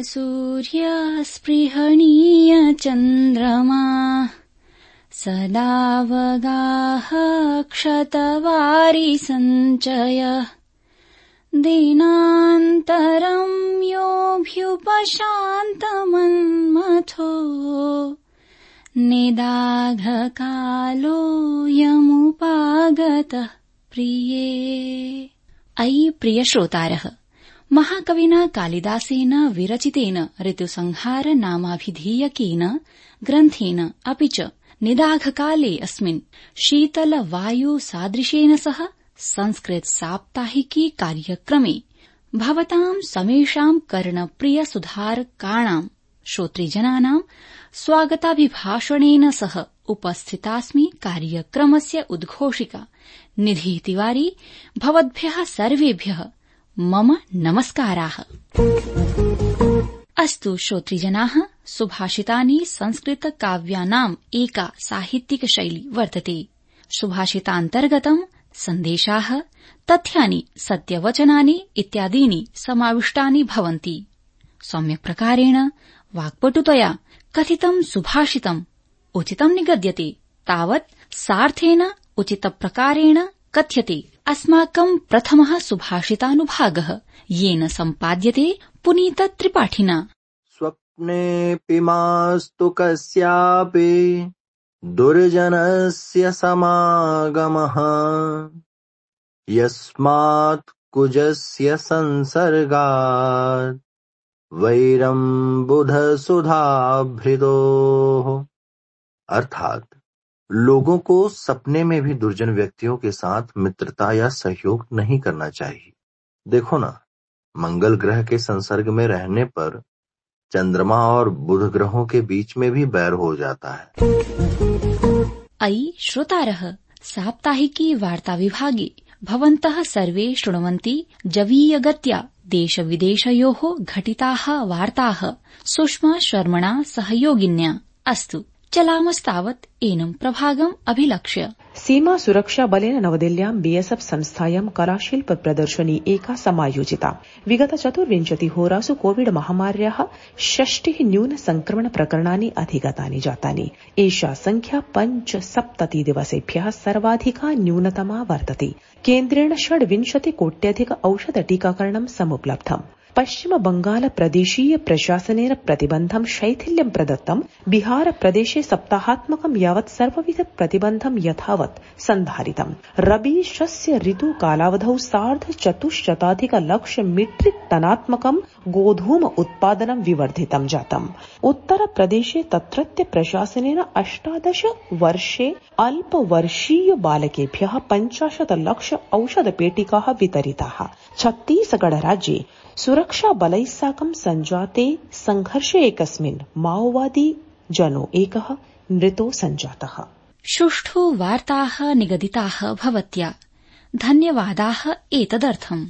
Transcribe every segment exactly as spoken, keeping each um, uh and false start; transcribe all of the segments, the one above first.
सूर्यस्पृहणीय चन्द्रमा सदावगाह क्षतवारि सञ्चय दीनान्तरं योऽभ्युपशान्तमन्मथो निदाघकालो यमुपागतः प्रिये। अयि प्रिय श्रोतारः, महाकविना कालिदासेन विरचितेन ऋतुसंहार नामाभिधीयकेन ग्रन्थेन अपि च निदाघकाले अस्मिन् शीतलवायुसादृशेन सह संस्कृत साप्ताहिकी कार्यक्रमे भवतां समेषां कर्णप्रिय सुधारकाणां श्रोतृजनानां स्वागताभिभाषणेन सह उपस्थितास्मि। कार्यक्रमस्य उद्घोषिका निधि तिवारी। भवद्भ्यः सर्वेभ्यः मम नमस्काराः। अस्तु श्रोतृजनाः, सुभाषितानि संस्कृतकाव्यानाम् एका साहित्यिकशैली वर्तते। सुभाषितान्तर्गतम् सन्देशाः, तथ्यानि, सत्यवचनानि इत्यादीनि समाविष्टानि भवन्ति। सम्यक् प्रकारेण वाक्पटुतया कथितं सुभाषितम् उचितं निगद्यते तावत् सार्थेन उचितप्रकारेण कथ्यते। अस्माकं प्रथमः सुभाषितानुभागः येन सम्पाद्यते पुनीत त्रिपाठिना। स्वप्नेऽपि मास्तु कस्यापि दुर्जनस्य समागमः यस्मात् कुजस्य संसर्गात् वैरं बुधसुधाभृदोः। अर्थात लोगों को सपने में भी दुर्जन व्यक्तियों के साथ मित्रता या सहयोग नहीं करना चाहिए। देखो ना, मंगल ग्रह के संसर्ग में रहने पर चंद्रमा और बुध ग्रहों के बीच में भी बैर हो जाता है। अयि श्रोतारः, साप्ताहिकी वार्ता विभागे भवन्तः सर्वे शृण्वन्ति जवीयगत्या देश विदेशयोः घटिताः वार्ताः सुषमा शर्मणा सहयोगिन्या। अस्तु, चलामस्तावत् एनं प्रभागम् अभिलक्ष्य। सीमा सुरक्षा बलेन नवदिल्ल्यां बीएसएफ संस्थायां कलाशिल्प प्रदर्शनी एका समायोजिता। विगत चतुर्विंशति होरासु कोविड महामार्याः षष्टिः न्यून संक्रमण प्रकरणानि अधिगतानि जातानि। एषा संख्या पञ्चसप्तति दिवसेभ्यः सर्वाधिका न्यूनतमा वर्तते। केन्द्रेण षड्विंशति कोट्यधिक औषध टीकाकरणं समुपलब्धम्। पश्चिम बंगाल प्रदेशीय प्रशासनेन प्रतिबन्धं शैथिल्यं प्रदत्तं। बिहार प्रदेशे सप्ताहात्मकं यावत् सर्वविध प्रतिबन्धं यथावत् सन्धारितम्। रबी शस्य ऋतु कालावधौ सार्ध चतुश्शताधिक लक्ष मीट्रिक टनात्मकं गोधूम उत्पादनं विवर्धितं जातम्। उत्तर प्रदेशे तत्रत्य प्रशासनेन अष्टादश वर्षे अल्पवर्षीय बालकेभ्यः पञ्चाशत् लक्ष औषध पेटिकाः वितरिताः। छत्तीसगढ़ राज्ये सुरक्षा बलैः साकं सञ्जाते संघर्षे एकस्मिन् माओवादी जनो एकः मृतो सञ्जातः। सुष्ठु वार्ताः निगदिताः भवत्या। धन्यवादाः एतदर्थम्।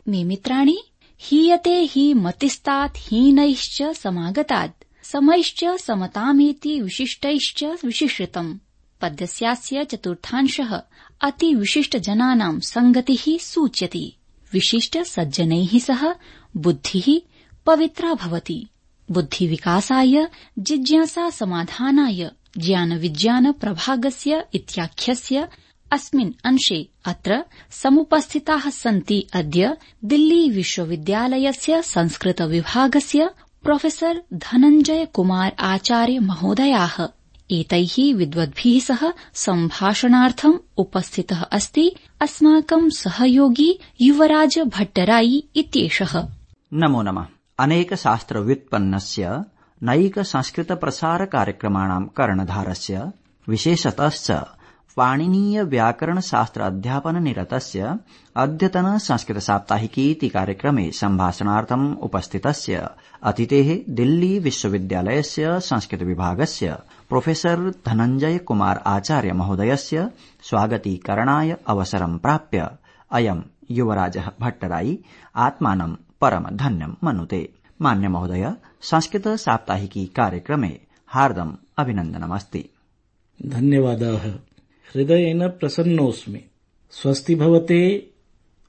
मे मित्राणि, हीयते हि मतिस्तात् हीनैश्च समागतात् समैश्च समतामेति विशिष्टैश्च विशिष्टम्। पद्यस्यास्य चतुर्थांशः अति विशिष्ट जनानां संगतिः सूच्यति। विशिष्ट सज्जनैः सह बुद्धिः पवित्रा भवति। बुद्धिविकासाय, जिज्ञासा समाधानाय ज्ञान विज्ञान प्रभागस्य इत्याख्यस्य अस्मिन् अंशे अत्र समुपस्थिताः सन्ति अद्य दिल्ली विश्वविद्यालयस्य संस्कृत विभागस्य प्रोफेसर धनञ्जय कुमार आचार्य महोदयाः। एतैः विद्वद्भिः सह सम्भाषणार्थम् उपस्थितः अस्ति अस्माकं सहयोगी युवराज भट्टराई इत्येषः। नमो नमः। अनेक शास्त्र व्युत्पन्नस्य नैक संस्कृत प्रसार कार्यक्रमाणां कर्णधारस्य विशेषतश्च पाणिनीय व्याकरण शास्त्र अध्यापन निरतस्य अद्यतन संस्कृत साप्ताहिकीति कार्यक्रमे सम्भाषणार्थम् उपस्थितस्य अतिथेः दिल्ली विश्वविद्यालयस्य संस्कृत विभागस्य प्रोफेसर धनञ्जय कुमार आचार्य महोदयस्य स्वागतीकरणाय अवसरं प्राप्य अयं युवराजः भट्टराई आत्मानं परम धन्यं मनुते। मान्य महोदय, संस्कृत साप्ताहिकी कार्यक्रमे हार्दम् अभिनन्दनमस्ति। धन्यवादाः। हृदयेन प्रसन्नोऽस्मि। स्वस्ति भवते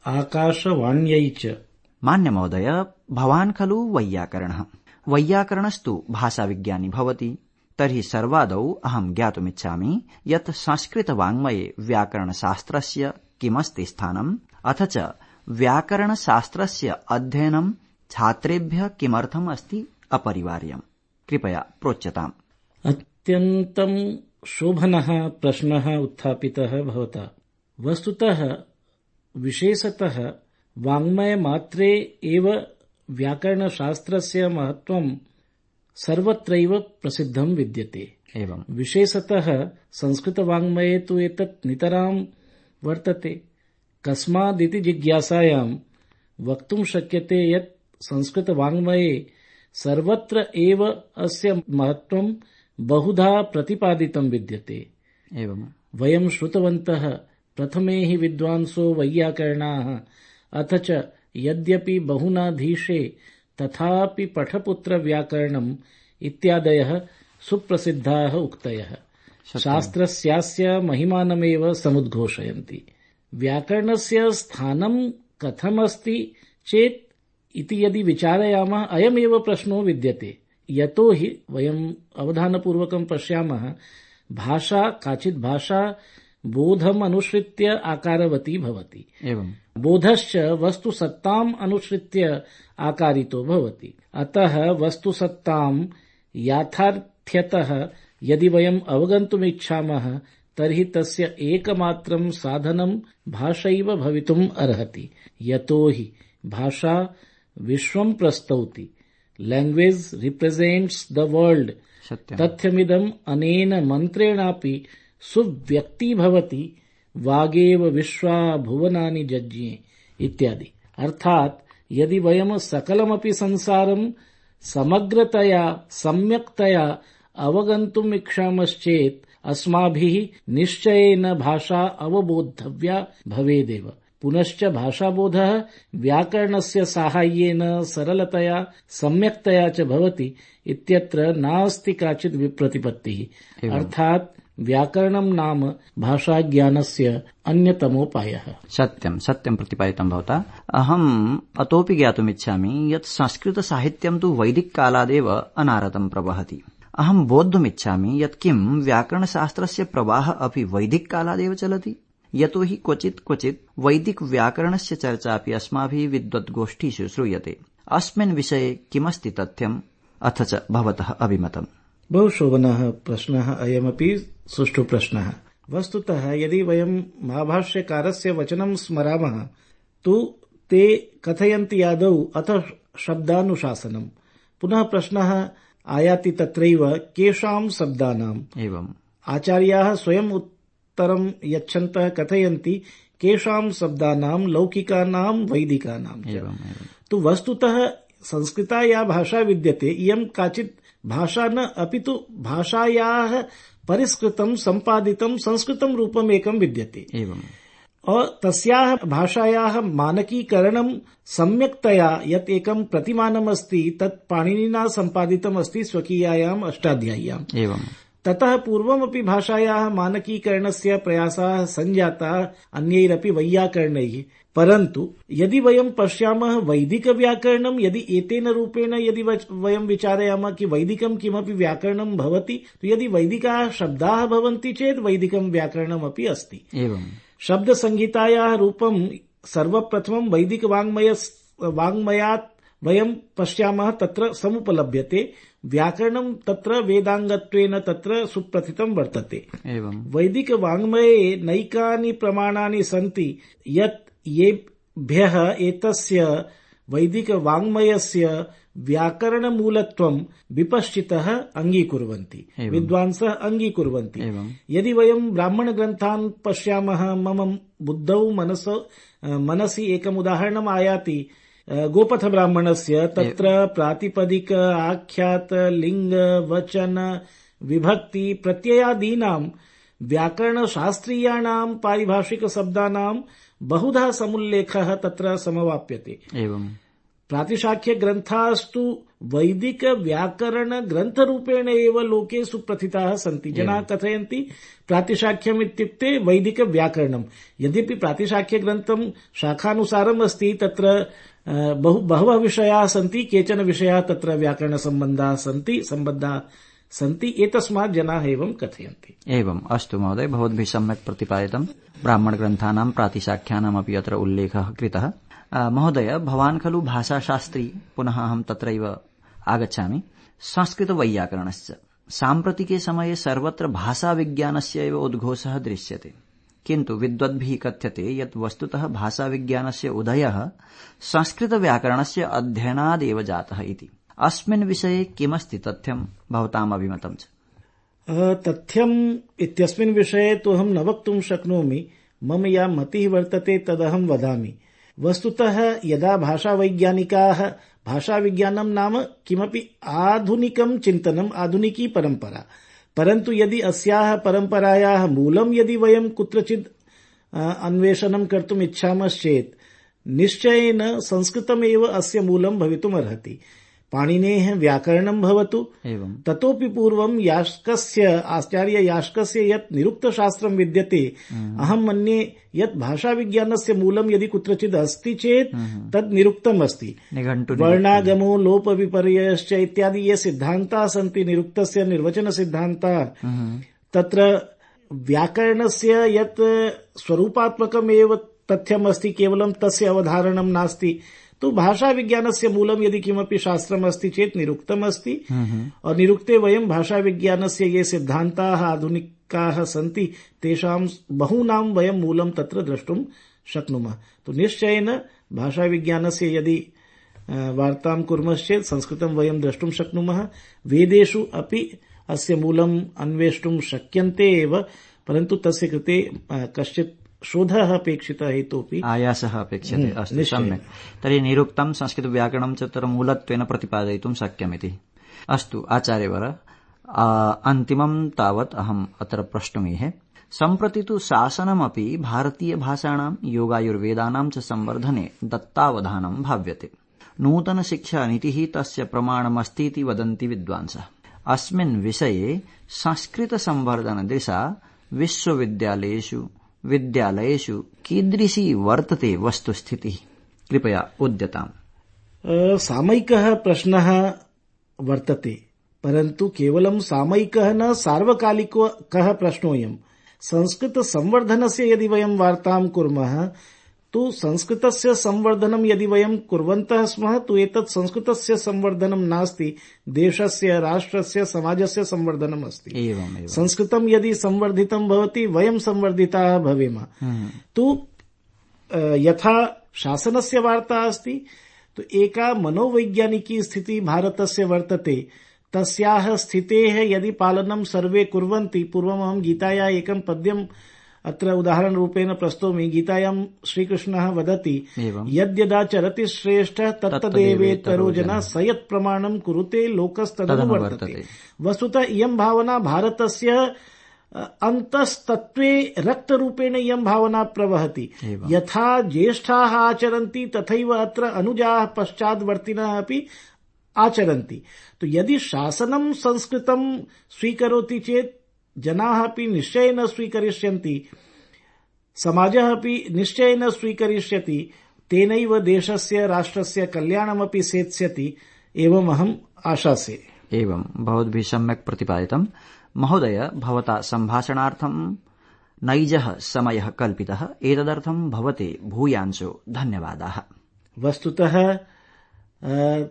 आकाशवाण्यै च मान्य महोदय, भवान् खलु वैयाकरणः। वैयाकरणस्तु भाषाविज्ञानी भवति। तर्हि सर्वादौ अहं ज्ञातुमिच्छामि यत् संस्कृतवाङ्मये व्याकरणशास्त्रस्य किमस्ति स्थानम्, अथ च व्याकरणशास्त्रस्य अध्ययनं छात्रेभ्यः किमर्थम् अस्ति अपरिवार्यम्। कृपया प्रोच्यताम्। अत्यन्तं शोभनः प्रश्नः उत्थापितः भवता। वस्तुतः विशेषतः वाङ्मयमात्रे एव व्याकरणशास्त्रस्य महत्त्वं सर्वत्रैव प्रसिद्धं विद्यते। एवं विशेषतः संस्कृतवाङ्मये तु एतत् नितरां वर्तते। कस्मादिति जिज्ञासायां वक्तुं शक्यते यत् संस्कृतवाङ्मये सर्वत्र एव अस्य महत्त्वं बहुधा प्रतिपादितं विद्यते। एवं वयं श्रुतवन्तः प्रथमे हि विद्वांसो वैयाकरणाः, अथ च यद्यपि बहुनाधीशे तथापि पठपुत्र व्याकरणम् इत्यादयः सुप्रसिद्धाः उक्तयः शास्त्रस्यास्य महिमानमेव समुद्घोषयन्ति। व्याकरणस्य स्थानं कथमस्ति चेत् इति यदि विचारयामः, अयमेव प्रश्नो विद्यते। यतो हि वयम् अवधानपूर्वकं पश्यामः, भाषा काचित् भाषा बोधम् अनुसृत्य आकारवती भवति। एवं बोधश्च वस्तुसत्ताम् अनुसृत्य आकारितो भवति। अतः वस्तुसत्ताम् याथार्थ्यतः यदि वयम् अवगन्तुमिच्छामः तर्हि तस्य एकमात्रं साधनं भाषैव भवितुम् अर्हति। यतो हि भाषा विश्वं प्रस्तौति। Language represents the world. तथ्यमिदम् अनेन मन्त्रेणापि सुव्यक्ति भवति। वागेव विश्वा भुवनानि जज्ञे इत्यादि। अर्थात यदि वयम् सकलमपि संसारं समग्रतया सम्यक्तया अवगन्तुम् इच्छामश्चेत् अस्माभिः निश्चयेन भाषा अवबोद्धव्या भवेदेव। पुनश्च भाषाबोधः व्याकरणस्य साहाय्येन सरलतया सम्यक्तया च भवति इत्यत्र नास्ति काचित् विप्रतिपत्तिः। अर्थात् व्याकरणं नाम भाषाज्ञानस्य अन्यतमोपायः। सत्यं सत्यं प्रतिपादितं भवता। अहम् अतोपि ज्ञातुमिच्छामि यत् संस्कृतसाहित्यं तु वैदिककालादेव अनारतं प्रवहति। अहं बोद्धुमिच्छामि यत् किं व्याकरणशास्त्रस्य प्रवाहः अपि वैदिककालादेव चलति। यतो हि क्वचित् क्वचित् वैदिक व्याकरणस्य चर्चापि अस्माभिः विद्वद्गोष्ठीषु श्रूयते। अस्मिन् विषये किमस्ति तथ्यम्, अथ च भवतः अभिमतम्। बहु शोभनः प्रश्नः अयमपि सुष्ठु प्रश्नः। वस्तुतः यदि वयं महाभाष्यकारस्य वचनं स्मरामः तु ते कथयन्ति आदौ अथ शब्दानुशासनम्। पुनः प्रश्नः आयाति तत्रैव केषां शब्दानाम्। एवम् आचार्याः स्वयं उत्तरं यच्छन्तः कथयन्ति केषां शब्दानां लौकिकानां वैदिकानां च। तु वस्तुतः संस्कृता या भाषा विद्यते इयं काचित् भाषा न, अपि तु भाषायाः परिष्कृतं सम्पादितं संस्कृतं रूपम् एकं विद्यते। एवम् और तस्याः भाषायाः मानकीकरणं सम्यक्तया यत् एकं प्रतिमानमस्ति तत् पाणिनिना सम्पादितम् अस्ति स्वकीयायाम् अष्टाध्याय्याम्। एवम् ततः पूर्वमपि भाषायाः मानकीकरणस्य प्रयासाः सञ्जाताः अन्यैरपि वैयाकरणैः। परन्तु यदि वयं पश्यामः वैदिकव्याकरणं यदि एतेन रूपेण यदि वयं विचारयामः कि वैदिकं किमपि व्याकरणं भवति, तो यदि वैदिकाः शब्दाः भवन्ति चेत् वैदिकं व्याकरणमपि अस्ति। एवं शब्दसंहितायाः रूपं सर्वप्रथमं वैदिकवाङ्मय वाङ्मयात् वयं पश्यामः तत्र समुपलभ्यते। व्याकरणं तत्र वेदांगत्वेन तत्र सुप्रथितं वर्तते। एवं वैदिकवाङ्मये नैकानि प्रमाणानि सन्ति यत् येभ्यः एतस्य वैदिकवाङ्मयस्य व्याकरणमूलत्वं विपश्चितः अङ्गीकुर्वन्ति, विद्वांसः अङ्गीकुर्वन्ति। यदि वयं ब्राह्मणग्रन्थान् पश्यामः, मम बुद्धौ मनसो मनसि एकम् उदाहरणम् आयाति गोपथ ब्राह्मणस्य। तत्र प्रातिपदिक आख्यात लिंग वचन विभक्ति प्रत्ययादीनां व्याकरणशास्त्रीयाणां पारिभाषिक शब्दानां बहुधा समुल्लेखः तत्र समवाप्यते। एवं प्रातिशाख्य ग्रन्थास्तु वैदिक व्याकरण ग्रन्थरूपेण एव लोके सुप्रथिताः सन्ति। जनाः कथयन्ति प्रातिशाख्यम् इत्युक्ते वैदिक व्याकरणम्। यद्यपि प्रातिशाख्य ग्रन्थं शाखानुसारम् अस्ति, तत्र बहु बहवः विषयाः सन्ति, केचन विषयाः तत्र व्याकरणसम्बन्धाः सन्ति सम्बद्धाः सन्ति, एतस्मात् जनाः एवं कथयन्ति। एवम्, अस्तु महोदय, भवद्भिः सम्यक् प्रतिपादितम्। ब्राह्मणग्रन्थानां प्रातिशाख्यानामपि अत्र उल्लेखः कृतः। महोदय, भवान् खलु भाषाशास्त्री, पुनः अहं तत्रैव आगच्छामि। संस्कृतवैयाकरणस्य साम्प्रतिके समये सर्वत्र भाषाविज्ञानस्य एव उद्घोषः दृश्यते, किन्तु विद्वद्भिः कथ्यते यत् वस्तुतः भाषाविज्ञानस्य उदयः संस्कृतव्याकरणस्य अध्ययनादेव जातः इति। अस्मिन् विषये किमस्ति तथ्यं भवताम् अभिमतं च? तथ्यम् इत्यस्मिन् विषये तु अहं न वक्तुं शक्नोमि। मम या मतिः वर्तते तदहं वदामि। वस्तुतः यदा भाषावैज्ञानिकाः भाषाविज्ञानं नाम किमपि आधुनिकं चिन्तनम्, आधुनिकी परम्परा, परन्तु यदि अस्याः परम्परायाः मूलं यदि वयं कुत्रचित् अन्वेषणं कर्तुम् इच्छामश्चेत् निश्चयेन संस्कृतमेव अस्य मूलं भवितुमर्हति। पाणिनेः व्याकरणं भवतु, ततोपि पूर्वं यास्कस्य, आचार्य यास्कस्य यत् निरुक्तशास्त्रं विद्यते, अहं मन्ये यत् भाषाविज्ञानस्य मूलं यदि कुत्रचित् अस्ति चेत् तद् निरुक्तम् अस्ति। वर्णागमो लोपविपर्ययश्च इत्यादि ये सिद्धान्ताः सन्ति निरुक्तस्य निर्वचनसिद्धान्ताः, तत्र व्याकरणस्य यत् स्वरूपात्मकमेव तथ्यमस्ति, केवलं तस्य अवधारणं नास्ति। तो भाषा विज्ञानस्य मूलं यदि किमपि शास्त्रम् अस्ति चेत् निरुक्तम् अस्ति, और निरुक्ते वयं भाषा विज्ञानस्य ये सिद्धान्ताः आधुनिकाः सन्ति तेषां बहूनां वयं मूलं तत्र द्रष्टुं शक्नुमः। तो निश्चयेन भाषा विज्ञानस्य यदि वार्तां कुर्मश्चेत् संस्कृतं वयं द्रष्टुं शक्नुमः। वेदेषु अपि अस्य मूलम् अन्वेष्टुं शक्यन्ते एव, परन्तु तस्य कृते कश्चित् शोधः अपेक्षितः हेतोऽपि आयासः अपेक्षते। अस्तु, सम्यक्। तर्हि निरुक्तं संस्कृतव्याकरणं च तत्र मूलत्वेन प्रतिपादयितुं शक्यमिति। अस्तु आचार्यवर, अन्तिमं तावत् अहम् अत्र प्रष्टुमीहे। सम्प्रति तु शासनमपि भारतीयभाषाणां योगायुर्वेदानां च संवर्धने दत्तावधानं भाव्यते। नूतनशिक्षानीतिः तस्य प्रमाणमस्तीति वदन्ति विद्वांसः। अस्मिन् विषये संस्कृतसंवर्धनदिशा विश्वविद्यालयेषु विद्यालयेषु कीदृशी वर्तते वस्तुस्थितिः? कृपया उद्यताम्। सामयिकः प्रश्नः वर्तते, परन्तु केवलं सामयिकः न सार्वकालिकः प्रश्नोऽयम्। संस्कृतसंवर्धनस्य यदि वयं वार्तां कुर्मः, तु संस्कृतस्य संवर्धनं यदि वयं कुर्वन्तः स्मः, तु एतत् संस्कृतस्य संवर्धनं नास्ति, देशस्य, राष्ट्रस्य, समाजस्य संवर्धनम् अस्ति। संस्कृतं यदि संवर्धितं भवति, वयं संवर्धिताः भवेम। तु यथा शासनस्य वार्ता अस्ति, तु एका मनोवैज्ञानिकी स्थितिः भारतस्य वर्तते। तस्याः स्थितेः यदि पालनं सर्वे कुर्वन्ति, पूर्वमहं गीतायाः एकं पद्यम् अत्र उदाहरण रूपेण प्रस्तौमि। गीतायां श्रीकृष्णः वदति, यद्यदाचरति श्रेष्ठः तत्तदेवेतरो जनः स यत् प्रमाणं कुरुते लोकस्तदनुवर्तते। वस्तुतः इयं भावना भारतस्य अन्तस्तत्त्वे रक्तरूपेण इयं भावना प्रवहति। यथा ज्येष्ठाः आचरन्ति तथैव अत्र अनुजाः पश्चाद्वर्तिनः अपि आचरन्ति। तो यदि शासनं संस्कृतं स्वीकरोति चेत् जनाः अपि निश्चयेन स्वीकरिष्यन्ति, समाजः अपि निश्चयेन स्वीकरिष्यति, तेनैव देशस्य राष्ट्रस्य कल्याणमपि सेत्स्यति, एवम् अहम् आशासे। एवं भवद्भिः सम्यक् प्रतिपादितम्। महोदय, भवता सम्भाषणार्थं नैजः समयः कल्पितः, एतदर्थं भवते भूयांशो धन्यवादाः। वस्तुतः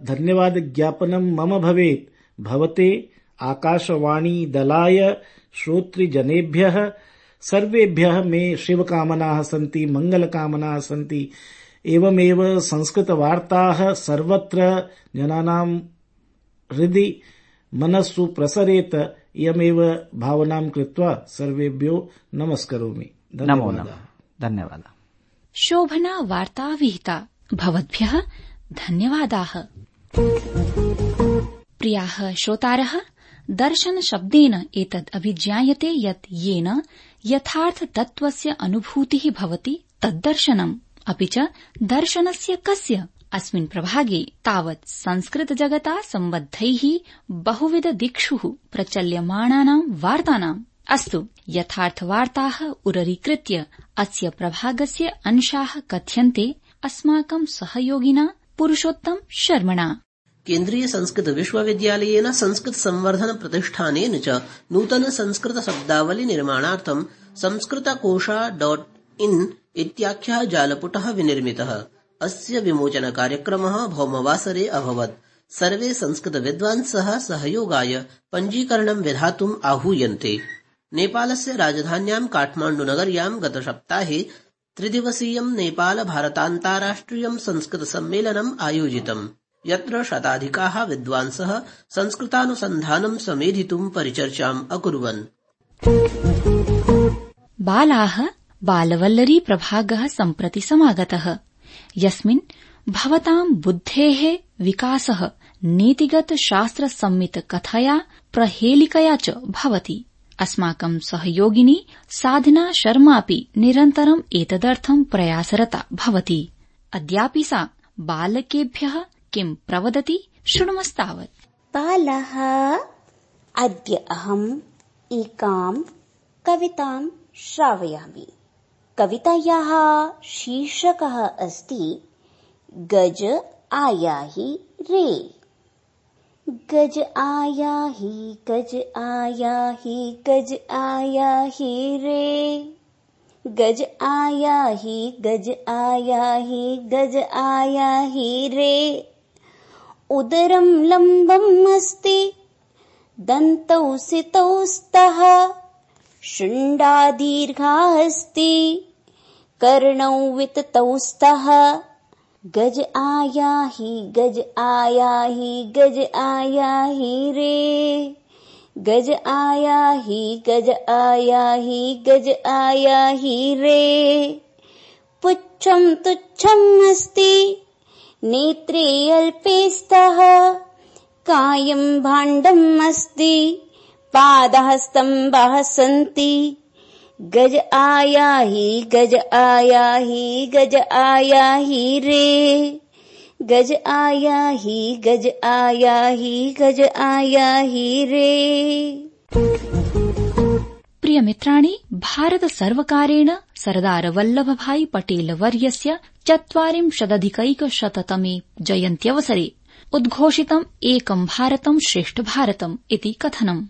धन्यवादज्ञापनं मम भवेत् भवते, आकाशवाणी दलाय, श्रोतृजनेभ्यः सर्वेभ्यः मे शिवकामनाः सन्ति, मङ्गलकामनाः सन्ति। एवमेव संस्कृतवार्ताः सर्वत्र जनानां हृदि मनस्सु प्रसरेत, इयमेव भावनां कृत्वा सर्वेभ्यो नमस्करोमि। नमो नमः। धन्यवादः। शोभना वार्ता विहिता। भवद्भ्यः धन्यवादाः। प्रियाः श्रोतारः, दर्शन शब्देन एतद् अभिज्ञायते यत् येन यथार्थ तत्त्वस्य अनुभूतिः भवति तद्दर्शनम्। अपि च दर्शनस्य कस्य? अस्मिन् प्रभागे तावत् संस्कृत जगता सम्बद्धैः बहुविध दिक्षुः प्रचल्यमाणानां वार्तानाम्। अस्तु, यथार्थवार्ताः उररीकृत्य अस्य प्रभागस्य अंशाः कथ्यन्ते अस्माकं सहयोगिना पुरुषोत्तम शर्मणा। केन्द्रीय संस्कृत विश्वविद्यालयेन संस्कृत संवर्धन प्रतिष्ठानेन च नूतन संस्कृत शब्दावली निर्माणार्थं संस्कृतकोशा डॉट इन इत्याख्यः जालपुटः विनिर्मितः। अस्य विमोचन कार्यक्रमः भौमवासरे अभवत्। सर्वे संस्कृत विद्वांसः सहयोगाय पञ्जीकरणं विधातुम् आहूयन्ते। नेपालस्य राजधान्यां काठमाण्डुनगर्यां गतसप्ताहे त्रिदिवसीयं नेपाल भारतान्ताराष्ट्रियं संस्कृत सम्मेलनम् आयोजितम्, यत्र शताधिकाः विद्वांसः संस्कृतानुसन्धानं समेधितुं परिचर्चाम् अकुर्वन्। बालाः बालवल्लरी प्रभागः सम्प्रति समागतः, यस्मिन् भवतां बुद्धेः विकासः नीतिगत शास्त्र सम्मित कथया प्रहेलिकया च भवति। अस्माकं सहयोगिनी साधना शर्मापि निरन्तरम् एतदर्थं प्रयासरता भवति। अद्यापि सा बालकेभ्यः किं प्रवदति शृणुमस्तावत्। बालः, अद्य अहम् एकां कवितां श्रावयामि। कवितायाः शीर्षकः अस्ति गज आया ही रे। गज आया ही गज आया ही गज आया ही रे। गज आया ही गज आया ही गज आया ही रे। उदरं लम्बम् अस्ति, दन्तौ सितौ स्तः, शुण्डा दीर्घा अस्ति, कर्णौ विततौ स्तः। गज आया ही गज आया ही गज आया ही रे। गज आया ही गज आया ही गज आया ही रे। पुच्छं तुच्छम् अस्ति, नेत्रे अल्पे स्तः, कायं भाण्डम् अस्ति, पादः स्तम्भः सन्ति। गज आया ही गज आया ही गज आया ही रे। गज आया ही गज आया ही गज आया ही रे। प्रिय मित्राणि, भारत सर्वकारेण सरदार वल्लभभाई पटेल वर्यस्य चत्वारिंशदधिकैकशततमे जयन्त्यवसरे उद्घोषितम् एकं भारतं श्रेष्ठ भारतम् इति कथनम्।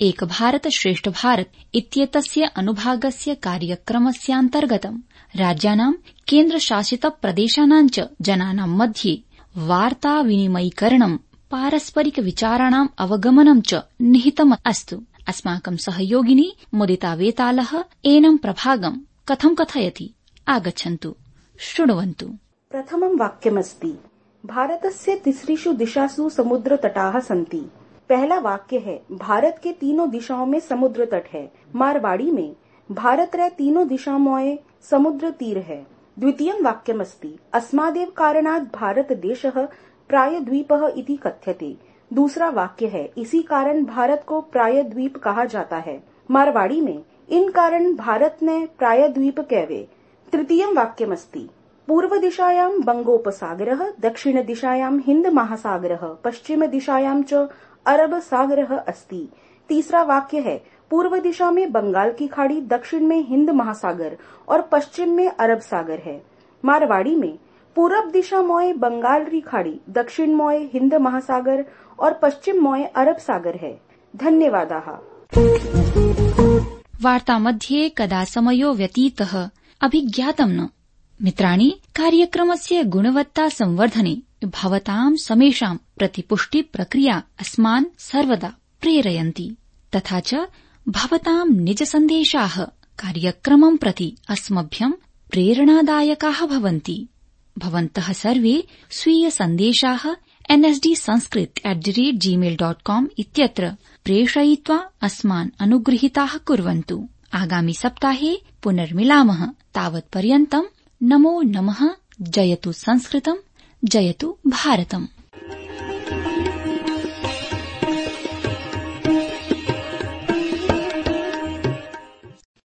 एक भारत श्रेष्ठ भारत इत्येतस्य अनुभागस्य कार्यक्रमस्यान्तर्गतं राज्यानां केन्द्रशासित प्रदेशानां च जनानां मध्ये वार्ता विनिमयीकरणं, पारस्परिक विचाराणाम् अवगमनं च निहितम् अस्ति। अस्माकं सहयोगिनी मुदिता वेतालः एनं प्रभागं कथं कथयति, आगच्छन्तु शृण्वन्तु। प्रथमं वाक्यमस्ति, भारतस्य तिसृषु दिशासु समुद्रतटाः सन्ति। पहला वाक्य है, भारत के तीनों दिशाओं में समुद्र तट है। मारवाड़ी में भारत रे तीनों दिशामोए समुद्र तीर है। द्वितीयं वाक्यमस्ति, अस्मादेव कारणात् भारत देशः प्रायद्वीपः इति कथ्यते। दूसरा वाक्य है, इसी कारण भारत को प्रायद्वीप कहा जाता है। मारवाड़ी में इन कारण भारत ने प्रायद्वीप कहवे। तृतीयं वाक्यमस्ति, पूर्व दिशायां बंगोपसागरः, दक्षिण दिशायां हिंद महासागरः, पश्चिम दिशायां च अरब सागरः अस्ति। तीसरा वाक्य है, पूर्व दिशा में बंगाल की खाड़ी, दक्षिण में हिंद महासागर और पश्चिम में अरब सागर है। मारवाड़ी में पूरब दिशा मोए बंगाल री खाड़ी, दक्षिण मोए हिंद महासागर और पश्चिम मोए अरब सागर है। धन्यवादाः। वार्ता मध्ये कदा समयो व्यतीतः अभिज्ञातं न। मित्राणि, कार्यक्रमस्य गुणवत्ता संवर्धने भवतां समेषां प्रतिपुष्टि प्रक्रिया अस्मान् सर्वदा प्रेरयन्ति। तथा च भवतां निज सन्देशाः कार्यक्रमं प्रति अस्मभ्यं प्रेरणादायकाः भवन्ति। भवन्तः सर्वे स्वीय सन्देशाः NSD Sanskrit at the rate Gmail dot com इत्यत्र प्रेषयित्वा अस्मान् अनुगृहीताः कुर्वन्तु। आगामि सप्ताहे पुनर्मिलामः। तावत्पर्यन्तम् नमो नमः। जयतु संस्कृतम्, जयतु भारतम्।